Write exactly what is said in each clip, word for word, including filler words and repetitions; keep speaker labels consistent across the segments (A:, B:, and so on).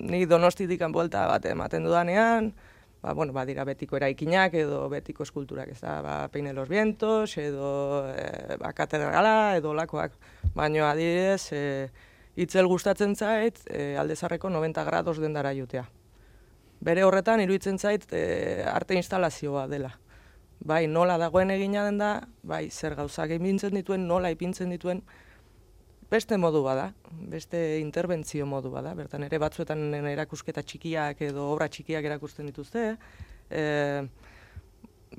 A: ni Donostitik buelta bat ematen dudanean, ba, bueno, badira betiko eraikinak edo betiko eskulturak, ez da, ba, Peine los Vientos, edo e, ba, katedrala, edo lakoak, baina adibidez, e, itzel gustatzen zait, e, Aldezarreko noventa grados dendara jutea. Bere horretan, iruditzen zait, e, arte instalazioa dela. Bai, nola dagoen egina den da, bai, zer gauzak ipintzen dituen, nola ipintzen dituen, beste modu bada, beste interbentzio modu bada, bertan ere batzuetan erakusketa txikiak edo obra txikiak erakusten dituzte, e,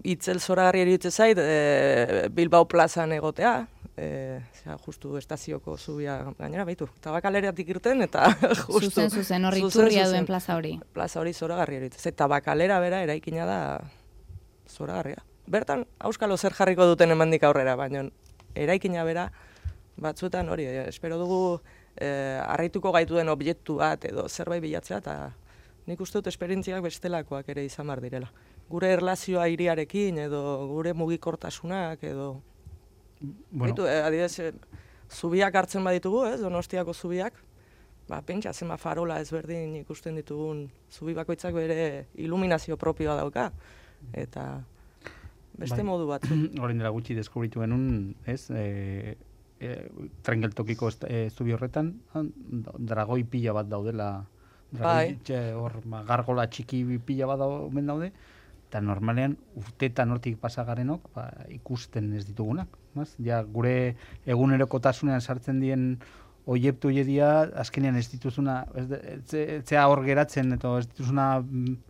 A: itzel zoragarri iruditzen zait, e, Bilbao plazan egotea, e, zera, justu estazioko zubia gainera, baitu, Tabakaleratik irten, eta justu...
B: Zuzen, zuzen, hori iturria duen plaza hori.
A: Plaza hori zoragarri iruditzen zait, Tabakalera bera eraikina da zoragarria. Bertan, auskalo zer jarriko duten emandik aurrera, baina eraikina bera, batzuetan hori, eh, espero dugu eh, arraituko gaitu den objektu bat edo zerbait bilatzea, eta nik uste dut esperientziak bestelakoak ere izan bar direla. Gure erlazioa hiriarekin edo gure mugikortasunak edo... Bueno. Baitu, eh, adibidez, eh, zubiak hartzen baditugu, ez, Donostiako zubiak, ba, pentsa, zema farola ezberdin ikusten ditugun zubi bakoitzak bere iluminazio propioa dauka, eta beste bai. Modu batzu.
C: Orain dela gutxi deskubritu genuen, ez, e... E, trengeltokiko e, zubi horretan, dragoi pila bat daudela, dragoi, bai. Hor, gargola txiki pila bat omen daude, eta normalean urtetan hortik pasagarenok ba, ikusten ez ditugunak. Mas? Ja, gure egunerokotasunean sartzen dien oiektu jedia, azkenean ez dituzuna, ez, ez, ez hor geratzen, eta ez dituzuna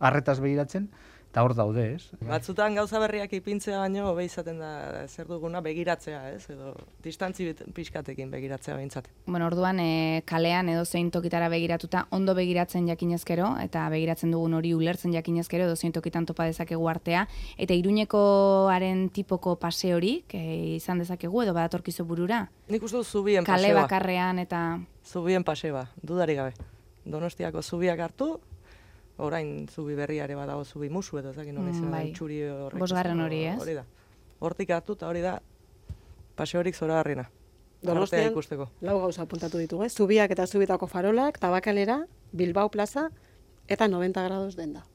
C: arretaz begiratzen, eta hor daude, ez?
A: Batzutan gauza berriak ipintzea baino, hobe izaten da zer duguna begiratzea, ez? Edo distantzi pixkatekin begiratzea behintzat.
B: Bueno, orduan e, kalean edo zein tokitara begiratuta ondo begiratzen jakinezkero, eta begiratzen dugun hori ulertzen jakinezkero, edo zein tokitan topa dezakegu artea, eta Iruñekoaren tipoko pase hori, izan dezakegu, edo badatorkizu burura?
A: Nik uste dut zubien paseba.
B: Kale bakarrean eta...
A: Zubien paseba, dudarik gabe. Donostiako zubiak hartu, orain zubi berriare badago zubi musu edo zakin hori mm, bai. Txuri horrek.
B: Bosgarren hori, ez?
A: Hori da. Hortik hartu eta hori da paseorik zoragarriena.
D: Donostian lau gauza apuntatu ditugu, eh? Zubiak eta zubitako farolak, Tabakalera, Bilbao plaza eta noventa grados denda.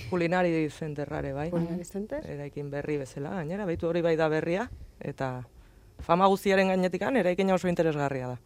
A: Kulinari zenterrare, bai.
D: Kulinari zenter.
A: Eraikin berri bezala, gainera, baitu hori bai da berria, eta fama guztiaren gainetikan eraikin oso interesgarria da.